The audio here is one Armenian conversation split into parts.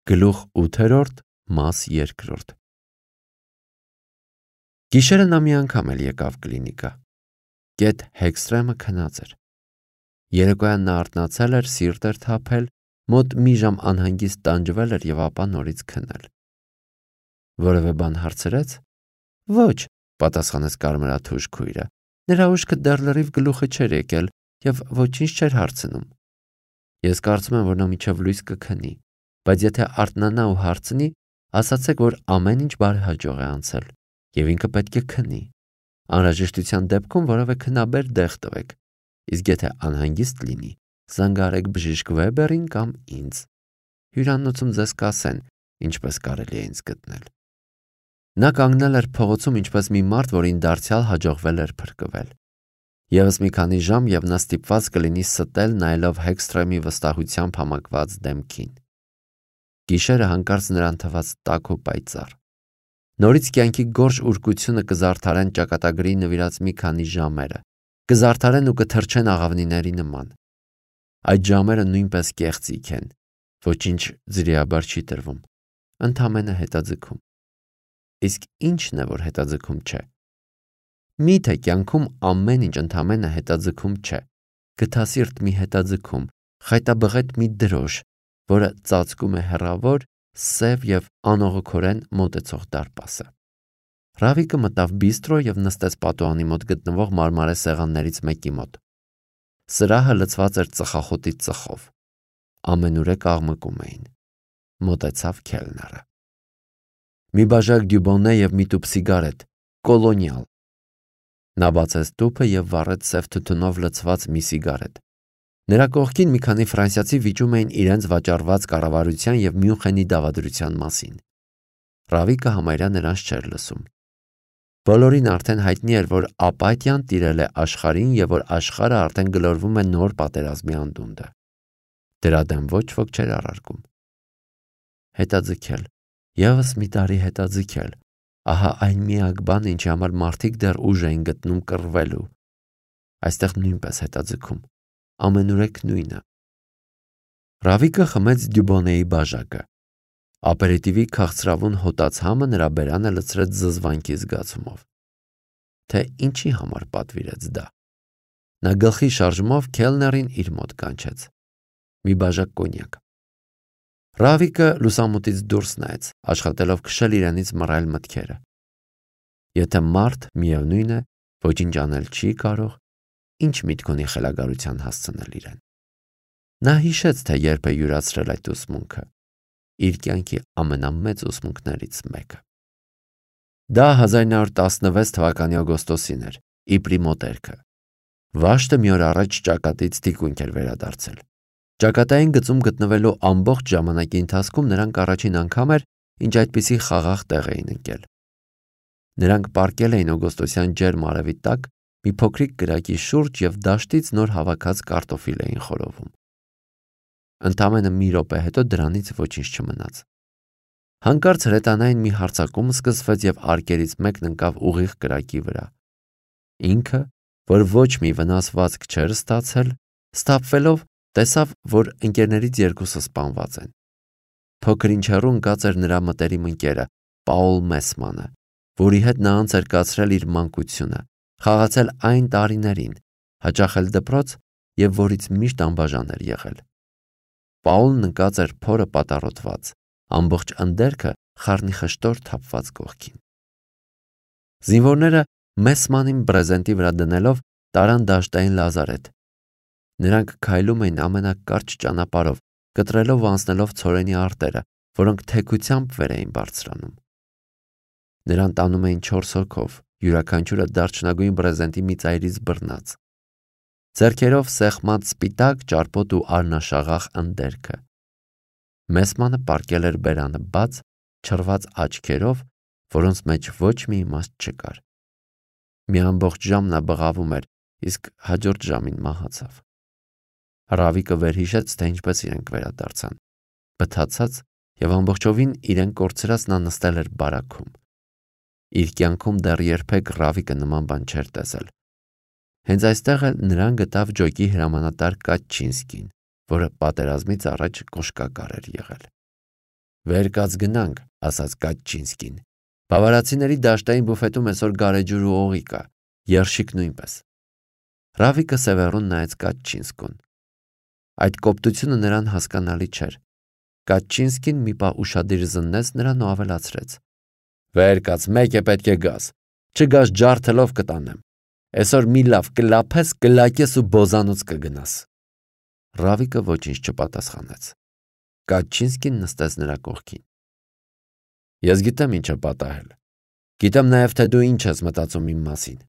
Գլուխ 8-րդ, մաս 2։ Գիշերը նա մի անգամ էլ եկավ կլինիկա։ Գետ Հեքստրեմը քնած էր։ Երեկոյան նա արթնացել էր, սիրտ էր թափել, մոտ մի ժամ անհանգիստ տանջվել էր եւ ապա նորից քնել։ Որևէ բան հարցրեց։ Ոչ, պատասխանեց կարմրաթուշ քույրը։ Նրա ուշքը դեռ լրիվ գլուխը չէր եկել եւ ոչինչ չէր հարցնում։ Ես կարծում եմ, որ նա մինչև լույս կքնի, բայց եթե արթնանա ու հարցնի, ասացեք, որ ամեն ինչ բարեհաջող է անցել եւ ինքը պետք է քնի։ Անհրաժեշտության դեպքում որևէ քնաբեր դեղ տվեք, իսկ եթե անհանգիստ լինի, զանգահարեք բժիշկ Վեբերին կամ ինձ։ Հյուրանոցում ձեզ կասեն, ինչպես կարելի է ինձ գտնել։ Նա կանգնել էր փողոցում ինչպես մի մարդ, որին դարձյալ հաջողվել էր փրկվել։ Եվս մի քանի ժամ եւ նա ստիպված կլինի ստել նայելով Հեքստրեմի վստահությամբ համակված դեմքին։ Գիշերը հանկարծ նրան թվաց տաք ու պայծառ։ Նորից կյանքի գորշ ուրկությունը կզարդարեն ճակատագրի նվիրած մի քանի ժամերը, կզարդարեն ու կթրջեն աղավնիների նման։ Այդ ժամերը նույնպես կեղծիք են, ոչինչ ձրիաբար չի տրվում, ընդամենը հետաձգում։ Իսկ ի՞նչն է, որ հետաձգում չէ։ Միթե կյանքում ամեն ինչ ընդամենը հետաձգում չէ։ Գթասիրտ մի հետաձգում, խայտաբղետ մի դրոշ, որը ծածկում է հեռավոր, սև եւ անողոքորեն մոտեցող դարպասը։ Ռավիկը մտավ բիստրո եւ նստեց պատուհանի մոտ գտնվող մարմարե սեղաններից մեկի մոտ։ Սրահը լցված էր ծխախոտի ծխով։ Ամենուրեք աղմկում էին։ Մոտեցավ քելները։ Մի բաժակ դյուբոնե եւ մի տուփ սիգարետ, կոլոնիալ։ Նա բացեց տուփը եւ վառեց սև թութունով լցված մի սիգարետ։ Նրա կողքին մի քանի ֆրանսիացի վիճում էին իրենց վաճառված կառավարության եւ Մյունխենի դավադրության մասին։ Ռավիկը համարյա նրանց չէր լսում։ Բոլորին արդեն հայտնի էր, որ ապաթիան տիրել է աշխարհին եւ որ աշխարհը արդեն գլորվում է նոր պատերազմի անդունդը։ Դրա դեմ ոչ ոք չէր առարկում։ Հետաձգել, եւս մի տարի հետաձգել։ Ահա այն միակ բանը, ինչի համար մարդիկ դեռ ուժ էին գտնում կռվելու։ Այստեղ նույնպես հետաձգում, ամենուրեք նույնը։ Ռավիկը խմեց դյուբոնեի բաժակը։ Ապերիտիվի քաղցրավուն հոտած համը նրա բերանը լցրեց զզվանքի զգացումով։ Թե ինչի համար պատվիրեց դա։ Նա գլխի շարժումով քելներին իր մոտ կանչեց։ Մի բաժակ կոնյակ։ Ռավիկը լուսամուտից դուրս նայեց, աշխատելով քշել իրենից մռայլ մտքերը։ Եթե մարդ միևնույն է, ոչինչ անել չի կարող, ինչ միտք ունի խելագարության հասցնել իրեն։ Նա հիշեց, թե երբ է յուրացրել այդ ուսմունքը, իր կյանքի ամենամեծ ուսմունքներից մեկը։ Դա 1916 թվականի օգոստոսին էր, իպրի մոտերքը։ Վաշտը մի օր առաջ ճակատից թիկունք էր վերադարձել։ Ճակատային գծում գտնվելու ամբողջ ժամանակի ընթացքում նրանք առաջին անգամ էր, ինչ այդպիսի խաղաղ տեղ էին ընկել։ Նրանք պառկել էին օգոստոսյան ջերմ արևի տակ մի փոքրիկ կրակի շուրջ եւ դաշտից նոր հավաքած կարտոֆիլ էին խորովում։ Ընդամենը մի րոպե հետո դրանից ոչինչ չմնաց։ Հանկարծ հրետանային մի հարձակում սկսվեց եւ արկերից մեկն ընկավ ուղիղ կրակի վրա։ Ինքը, որ ոչ մի վնասվածք չէր ստացել, սթափվելով տեսավ, որ ընկերներից երկուսը սպանված են։ Փոքր-ինչ հեռու ընկած էր նրա մտերիմ ընկերը Պաուլ Մեսմանը, որի հետ նա անց էր կացրել իր մանկությունը, խաղացել այն տարիներին, հաճախել դպրոց եւ որից միշտ անբաժան էր եղել։ Պաուլն ընկած էր փորը պատառոտված, ամբողջ ընդերքը խառնիխշտոր թափված կողքին։ Զինվորները Մեսմանին բրեզենտի վրա դնելով տարան դաշտային լազարետ։ Նրանք քայլում էին ամենակարճ ճանապարհով, կտրելով ու անցնելով ցորենի արտերը, որոնք թեքությամբ վեր էին բարձրանում։ Նրան տանում էին 4 հոգով, յուրաքանչյուրը դարչնագույն բրեզենտի մի ծայրից բռնած։ Ձեռքերով սեղմած սպիտակ, ճարպոտ ու արնաշաղախ ընդերքը։ Մեսմանը պառկել էր բերանը բաց, չռված աչքերով, որոնց մեջ ոչ մի իմաստ չկար։ Մի ամբողջ ժամ նա բղավում էր, իսկ հաջորդ ժամին մահացավ։ Ռավիկը վերհիշեց, թե ինչպես իրենք վերադարձան։ Բթացած եւ ամբողջովին իրեն կորցրած նա նստել էր բարաքում։ Իր կյանքում դեռ երբեք Ռավիկը նման բան չէր տեսել։ Հենց այստեղ էլ նրան գտավ ջոկի հրամանատար Կաչինսկին, որը պատերազմից առաջ կոշկակար էր եղել։ Վեր կաց գնանք, ասաց Կաչինսկին։ Բավարացիների դաշտային բուֆետում այսօր գարեջուր ու օղի կա, երշիկ նույնպես։ Ռավիկը սևեռուն նայեց Կաչինսկուն։ Այդ կոպտությունը նրան հասկանալի չէր։ Կաչինսկին մի պահ ուշադիր զննեց նրան ու ավելացրեց. Վեր կաց, մեկ է պետք է գաս, չգաս ջարդելով կտանեմ, այսօր մի լավ կլափես, կլակես ու բոզանոց կգնաս։ Ռավիկը ոչինչ չպատասխանեց։ Կաչինսկին նստեց նրա կողքին։ Ես գիտեմ ինչ է պատահել, գիտեմ նաև թե դու ինչ ես մտածում իմ մասին,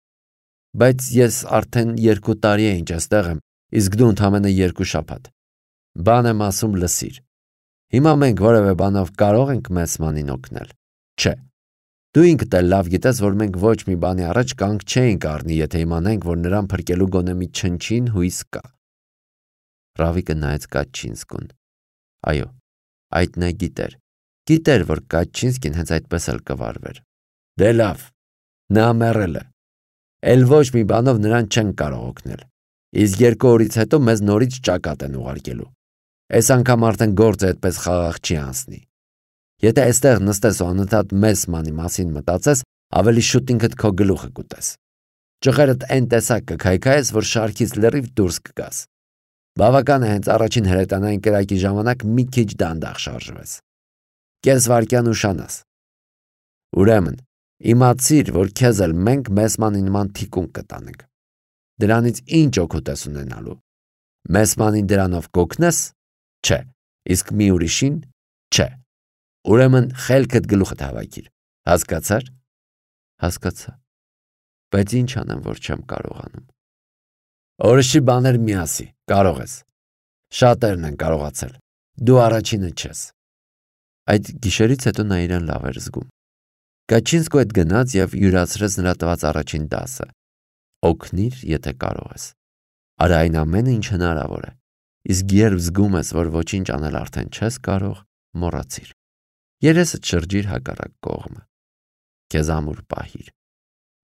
բայց ես արդեն 2 տարի է ինչ այստեղ եմ, իսկ դու ընդամենը 2 շաբաթ։ Բան եմ ասում, լսիր։ Հիմա մենք որևէ բանով կարող ենք Մեսմանին օգնել։ Չէ։ Դու ինքդ էլ լավ գիտես, որ մենք ոչ մի բանի առաջ կանգ չէինք առնի, եթե իմանայինք, որ նրան փրկելու գոնե մի չնչին հույս կա։ Ռավիկը նայեց Կաչինսկուն։ Այո, այդ նա գիտեր, որ Կաչինսկին հենց այդպես էլ կվարվեր։ Դե լավ, նա մեռել է։ Էլ ոչ մի բանով նրան չեն կարող օգնել։ Իսկ 2 օրից հետո մեզ նորից ճակատ են ուղարկելու։ Այս անգամ արդեն գործը այդպես խաղաղ չի անցնի։ Եթե այստեղ նստես ու անընդհատ Մեսմանի մասին մտածես, ավելի շուտ ինքդ քո գլուխը կուտես։ Ճղերդ այն տեսակ կքայքայես, որ շարքից լրիվ դուրս կգաս։ Բավական է հենց առաջին հրետանային կրակի ժամանակ մի քիչ դանդաղ շարժվես։ Կես վայրկյան ուշանաս։ Ուրեմն, իմացիր, որ քեզ էլ մենք Մեսմանին նման թիկունք կտանենք։ Դրանից ինչ օգուտ ես ունենալու։ Մեսմանին դրանով կօգնես։ Չէ, իսկ մի ուրիշին չէ։ Ուրեմն խելքդ գլուխդ հավաքիր։ Հասկացար։ Հասկացա։ Բայց ինչ անեմ, որ չեմ կարողանում։ Օրիշի բաներ մի ասի, կարող ես։ Շատերն են կարողացել։ Դու առաջինը չես։ Այդ գիշերից հետո նա իրեն լավ էր զգում։ Կաչինսկու հետ գնաց եւ յուրացրեց նրա տված առաջին դասը։ Օգնիր, եթե կարող ես։ Արա այն ամենը, ինչ հնարավոր է։ Իսկ երբ զգում ես, որ ոչինչ անել արդեն չես կարող, մոռացիր։ Երեսդ շրջիր հակառակ կողմը։ Քեզ ամուր պահիր։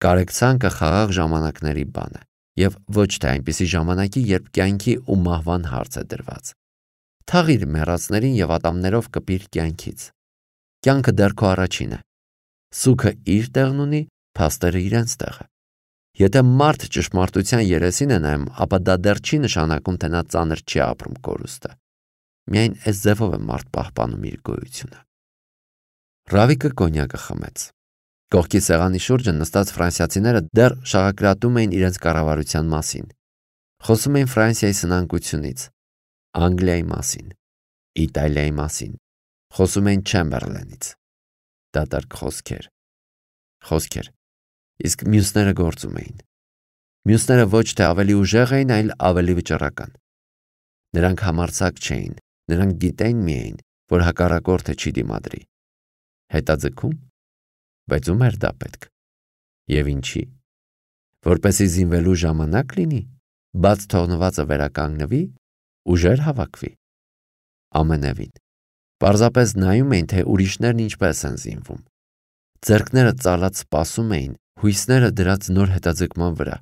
Կարեկցանքը խաղաղ ժամանակների բան է եւ ոչ թե այնպիսի ժամանակի, երբ կյանքի ու մահվան հարց է դրված։ Թաղիր մեռածներին եւ ատամներով կպիր կյանքից։ Կյանքը դեռ քո առաջին է։ Սուքը իր տեղն ունի, փաստերը իրենց տեղը։ Եթե մարդ ճշմարտության երեսին է նայում, ապա դա դեռ չի նշանակում, թե նա ծանր չի ապրում կորուստը։ Միայն այս ձևով է մարդ պահպանում իր գոյությունը։ Ռավիկը կոնյակը խմեց։ Կողքի սեղանի շուրջը նստած ֆրանսիացիները դեռ շաղակրատում էին իրենց կառավարության մասին։ Խոսում էին Ֆրանսիայի սնանկությունից, Անգլիայի մասին, Իտալիայի մասին։ Խոսում էին Չեմբերլենից։ Դատարկ խոսքեր։ Իսկ մյուսները գործում էին։ Մյուսները ոչ թե ավելի ուժեղ էին, այլ ավելի վճռական։ Նրանք համարձակ չէին, նրանք գիտեին միայն, որ հակառակորդը չի դիմադրի։ Հետաձգում, բայց ում էր դա պետք։ Եվ ինչի։ Որպեսզի զինվելու ժամանակ լինի, բաց թողնվածը վերականգնվի, ուժեր հավաքվի։ Ամենևին։ Պարզապես նայում էին, թե ուրիշներն ինչպես են զինվում։ Ձեռքները ծալած սպասում էին, հույսները դրած նոր հետաձգման վրա։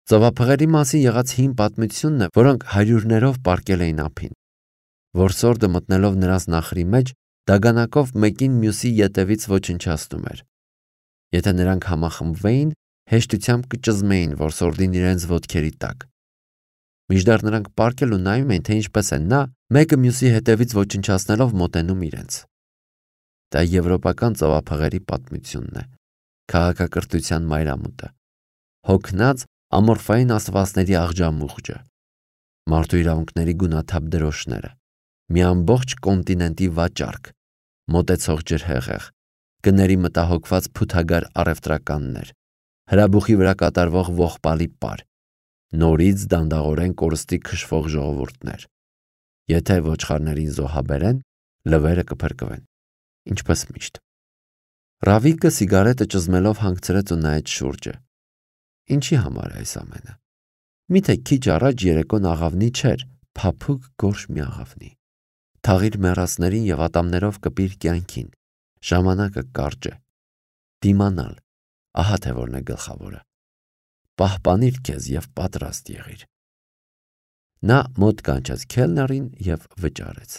Ծովափղերի մասին եղած հին պատմությունն է, որոնք հարյուրներով պառկել էին ափին։ Որսորդը մտնելով նրանց նախրի մեջ, դագանակով մեկին մյուսի ետևից ոչնչացնում էր։ Եթե նրանք համախմբվեին, հեշտությամբ կճզմեին որսորդին իրենց ոտքերի տակ։ Մինչդեռ նրանք պառկել ու նայում էին, թե ինչպես է նա, մեկը մյուսի հետևից ոչնչացնելով մոտենում իրենց։ Դա եվրոպական ծովափղերի պատմությունն է, քաղաքակրթության մայրամուտը, հոգնած ամորֆային աստվածների աղջամուղջը, մարդու իրավունքների գունաթափ դրոշները, մի ամբողջ կոնտինենտի վաճառք, մոտեցող ջրհեղեղ, գների մտահոգված փութագար առևտրականներ, հրաբուխի վրա կատարվող ողբալի պար, նորից դանդաղորեն կորստի քշվող ժողովուրդներ։ Եթե ոչխարներին զոհաբերեն, լվերը կփրկվեն, ինչպես միշտ։ Ռավիկը սիգարետը ճզմելով հանգցրեց ու նայեց շուրջը։ Ինչի համար է այս ամենը։ Միթե քիչ առաջ երեկոն աղավնի չէր, փափուկ գորշ մի աղավնի։ Թաղիր մեռածներին եւ ատամներով կպիր կյանքին։ Ժամանակը կարճ է։ Դիմանալ, ահա թե որն է գլխավորը։ Պահպանիր քեզ եւ պատրաստ եղիր։ Նա մոտ կանչեց քելներին եւ վճարեց։